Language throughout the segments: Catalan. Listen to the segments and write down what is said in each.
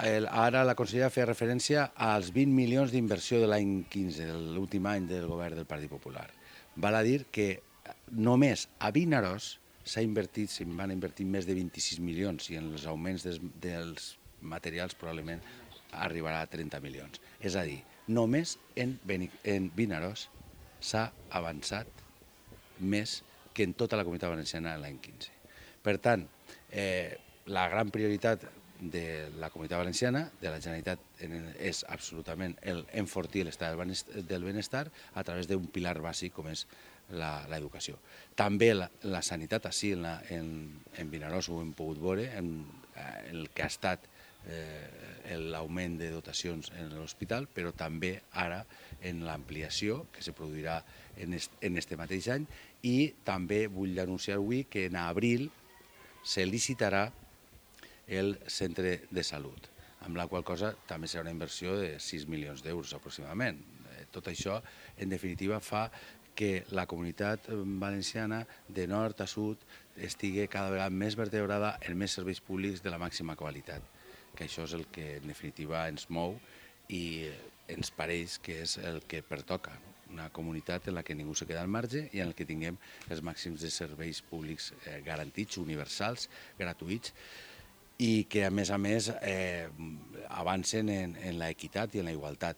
Ara la consellera feia referència als 20 milions d'inversió de l'any 15, de l'últim any del govern del Partit Popular. Val a dir que només a Vinaròs se'n van invertir més de 26 milions i en els augments dels materials probablement arribarà a 30 milions. És a dir, només en Vinaròs s'ha avançat més que en tota la Comunitat Valenciana l'any 15. Per tant, la gran prioritat de la Comunitat Valenciana, de la Generalitat, és absolutament enfortir l'estat del benestar a través d'un pilar bàsic com és l'educació. També la sanitat, així en Vinaròs ho hem pogut veure, el que ha estat l'augment de dotacions en l'hospital, però també ara en l'ampliació que se produirà en aquest mateix any, i també vull anunciar avui que en abril se licitarà el centre de salut, amb la qual cosa també serà una inversió de 6 milions d'euros aproximadament. Tot això, en definitiva, fa que la comunitat valenciana, de nord a sud, estigui cada vegada més vertebrada en més serveis públics de la màxima qualitat, que això és el que en definitiva ens mou i ens pareix que és el que pertoca, una comunitat en la que ningú se queda al marge i en la que tinguem els màxims de serveis públics garantits, universals, gratuïts, i que a més avancen en l'equitat i en la igualtat.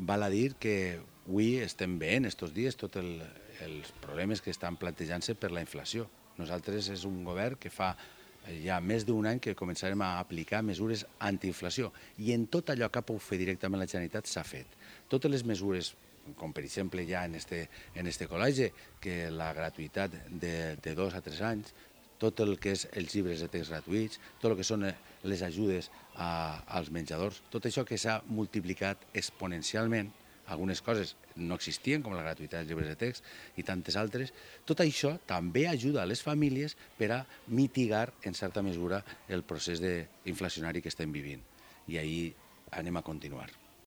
Val a dir que avui estem veient estos dies tots els problemes que estan plantejant-se per la inflació. Nosaltres és un govern que fa ja més d'un any que començarem a aplicar mesures antiinflació i en tot allò que ha pogut fer directament la Generalitat s'ha fet. Totes les mesures, com per exemple ja en este col·legi, que la gratuïtat de 2 a 3 anys, tot el que és els llibres de text gratuïts, tot el que són les ajudes als menjadors, tot això que s'ha multiplicat exponencialment, algunes coses no existien, com la gratuïtat dels llibres de text i tantes altres, tot això també ajuda a les famílies per a mitigar, en certa mesura, el procés inflacionari que estem vivint. I ahir anem a continuar.